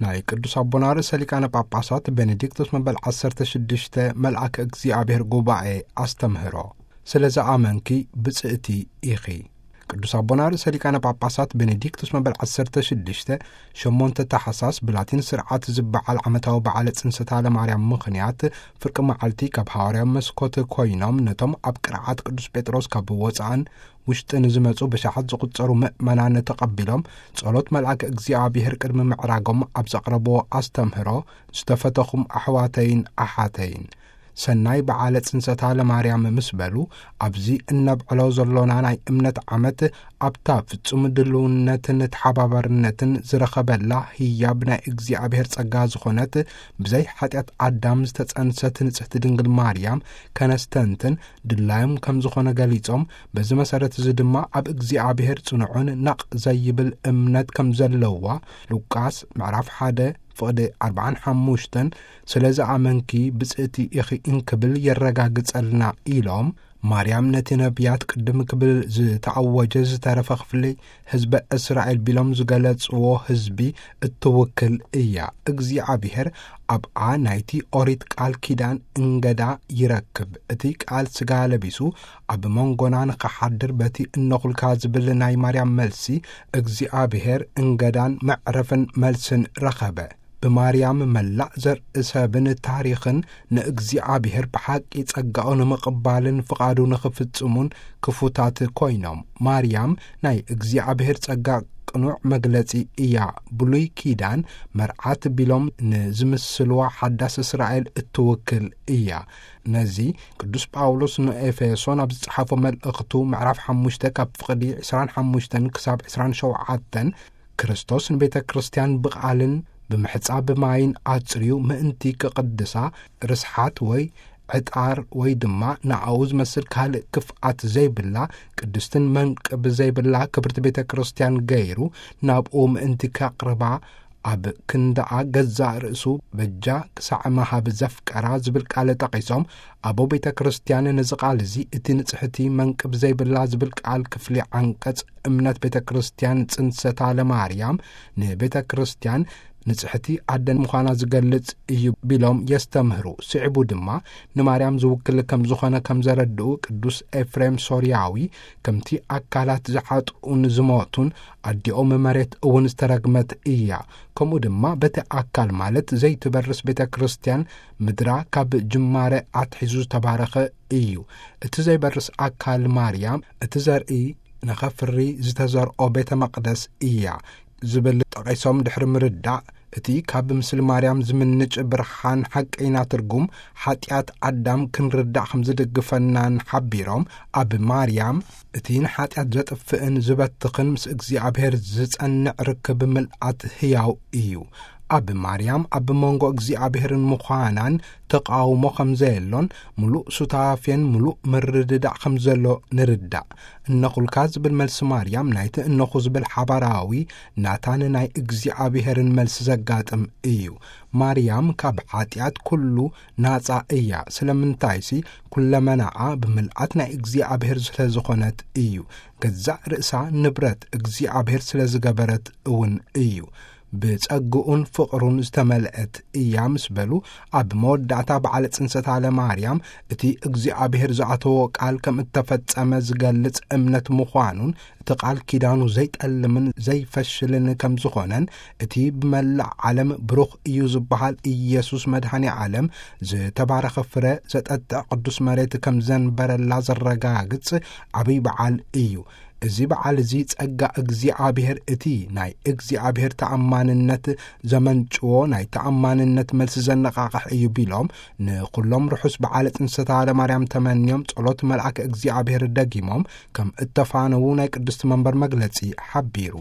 ናይ ቅዱስ ኣቦና ርእሰ ሊቃነ ጳጳሳት ቤኔዲክቶስ መበል ዓሰርተ ሽዱሽተ መልኣከ እግዚኣብሔር ጉባኤ ኣስተምህሮ። ስለ ዝኣመንኪ ብጽእቲ ኢኺ። ቅዱስ ኣቦና ርእሰ ሊቃነ ጳጳሳት ቤኔዲክቶስ መበል ዓሰርተ ሽዱሽተ ሸሞንተ ታሕሳስ ብላቲን ስርዓት ዝበዓል ዓመታዊ በዓለ ጽንሰታ ለማርያም ምኽንያት ፍርቂ መዓልቲ ካብ ሃዋርያዊ መስኮት ኮይኖም ነቶም ኣብ ቅርዓት ቅዱስ ጴጥሮስ ካብ ወጻእን ውሽጥን ዝመጹ ብሽሓት ዝቑጸሩ ምእመናን ተቐቢሎም ጸሎት መልኣከ እግዚኣብሔር ቅድሚ ምዕራጎም ኣብ ዘቕረብዎ ኣስተምህሮ ዝተፈተኹም ኣሕዋተይን ኣሓተይን ሰናይ በዓለ ጽንሰታ ለማርያም ምስ በሉ ኣብዚ እነብዕሎ ዘሎና ናይ እምነት ዓመት ኣብታ ፍጹም ድልውነትን ተሓባባርነትን ዝረኸበላ ህያብ ናይ እግዚኣብሔር ጸጋ ዝኾነት ብዘይ ሓጢኣት ኣዳም ዝተጸንሰት ንጽሕቲ ድንግል ማርያም ከነስተንትን ድላዮም ከም ዝኾነ ገሊጾም በዚ መሰረት እዚ ድማ ኣብ እግዚኣብሔር ጽኑዕን ናቕ ዘይብል እምነት ከም ዘለዋ ሉቃስ ምዕራፍ ሓደ ፍቕዲ ኣርባዓን ሓሙሽተን ስለ ዝኣመንኪ ብጽእቲ ኢኺ እንክብል የረጋግጸልና ኢሎም ማርያም ነቲ ነቢያት ቅድም ክብል ዝተኣወጀ ዝተረፈ ክፍሊ ህዝበ እስራኤል ቢሎም ዝገለጽዎ ህዝቢ እትውክል እያ። እግዚኣብሔር ኣብኣ ናይቲ ኦሪት ቃል ኪዳን እንገዳ ይረክብ። እቲ ቃል ስጋ ለቢሱ ኣብ መንጎና ንኸሓድር በቲ እነኹልካ ዝብል ናይ ማርያም መልሲ እግዚኣብሔር እንገዳን መዕረፍን መልስን ረኸበ። ብማርያም መላእ ዘርኢ ሰብን ታሪኽን ንእግዚኣብሔር ብሓቂ ጸጋኡ ንምቕባልን ፍቓዱ ንኽፍጽሙን ክፉታት ኮይኖም። ማርያም ናይ እግዚኣብሔር ጸጋ ቅኑዕ መግለጺ እያ። ብሉይ ኪዳን መርዓት ቢሎም ንዝምስልዋ ሓዳስ እስራኤል እትውክል እያ። ነዚ ቅዱስ ጳውሎስ ንኤፌሶን ኣብ ዝጸሓፎ መልእኽቱ ምዕራፍ ሓሙሽተ ካብ ፍቕዲ ዕስራን ሓሙሽተን ክሳብ ዕስራን ሸውዓተን ክርስቶስ ንቤተ ክርስቲያን ብቓልን ብምሕጻብ ማይን ኣጽርዩ ምእንቲ ክቕድሳ ርስሓት ወይ ዕጣር ወይ ድማ ንኣኡ ዝመስል ካልእ ክፍኣት ዘይብላ ቅድስትን መንቅብ ዘይብላ ክብርቲ ቤተ ክርስቲያን ገይሩ ናብኡ ምእንቲ ከቕርባ ኣብ ክንዳኣ ገዛእ ርእሱ በጃ ክሳዕ መሃብ ዘፍቀራ ዝብል ቃል ጠቒሶም ኣቦ ቤተ ክርስቲያን ነዚ ቃል እዚ እቲ ንጽሕቲ መንቅብ ዘይብላ ዝብል ቃል ክፍሊ ዓንቀጽ እምነት ቤተ ክርስቲያን ጽንሰታ ለማርያም ንቤተ ክርስቲያን ንጽሕቲ ኣደን ምዃና ዝገልጽ እዩ ቢሎም የስተምህሩ። ስዕቡ ድማ ንማርያም ዝውክል ከም ዝኾነ ከም ዘረድኡ ቅዱስ ኤፍሬም ሶርያዊ ከምቲ ኣካላት ዝሓጥኡን ዝሞቱን ኣዲኦም መሬት እውን ዝተረግመት እያ። ከምኡ ድማ በቲ ኣካል ማለት ዘይትበርስ ቤተ ክርስቲያን ምድራ ካብ ጅማረ ኣትሒዙ ዝተባረኸ እዩ። እቲ ዘይበርስ ኣካል ማርያም እቲ ዘርኢ ንኸፍሪ ዝተዘርኦ ቤተ መቕደስ እያ ዝብል ጠቒሶም ድሕሪ ምርዳእ እቲ ካብ ምስሊ ማርያም ዝምንጭ ብርሃን ሓቀይና ትርጉም ሓጢኣት ኣዳም ክንርዳእ ከም ዝድግፈናን ሓቢሮም ኣብ ማርያም እቲ ንሓጢኣት ዘጥፍእን ዝበትኽን ምስ እግዚኣብሔር ዝጸንዕ ርክብ ምልኣት ህያው እዩ። ኣብ ማርያም ኣብ መንጎ እግዚኣብሔርን ምዃናን ተቃውሞ ከም ዘየሎን ምሉእ ሱታፌን ምሉእ ምርድዳእ ከም ዘሎ ንርዳእ። እነኹልካ ዝብል መልሲ ማርያም ናይቲ እነኹ ዝብል ሓባራዊ ናታን ናይ እግዚኣብሔርን መልሲ ዘጋጥም እዩ። ማርያም ካብ ሓጢኣት ኩሉ ናጻ እያ። ስለምንታይሲ ኩለመናኣ ብምልኣት ናይ እግዚኣብሔር ስለ ዝኾነት እዩ። ገዛእ ርእሳ ንብረት እግዚኣብሔር ስለ ዝገበረት እውን እዩ። ብጸግኡን ፍቕሩን ዝተመልአት እያ ምስ በሉ ኣብ መወዳእታ በዓለ ጽንሰታ ለማርያም እቲ እግዚኣብሔር ዝኣተዎ ቃል ከም እተፈጸመ ዝገልጽ እምነት ምዃኑን እቲ ቃል ኪዳኑ ዘይጠልምን ዘይፈሽልን ከም ዝኾነን እቲ ብመላእ ዓለም ብሩኽ እዩ ዝበሃል ኢየሱስ መድኃኔ ዓለም ዝተባረኸ ፍረ ዘጠጥዕ ቅዱስ መሬት ከም ዘንበረላ ዘረጋግጽ ዓብይ በዓል እዩ። እዚ በዓል እዚ ጸጋ እግዚኣብሔር እቲ ናይ እግዚኣብሔር ተኣማንነት ዘመንጭዎ ናይ ተኣማንነት መልሲ ዘነቓቕሕ እዩ ቢሎም ንኹሎም ርሑስ በዓለ ጽንሰታ ለማርያም ተመንዮም ጸሎት መልኣከ እግዚኣብሔር ደጊሞም ከም እተፋነዉ ናይ ቅድስቲ መንበር መግለጺ ሓቢሩ።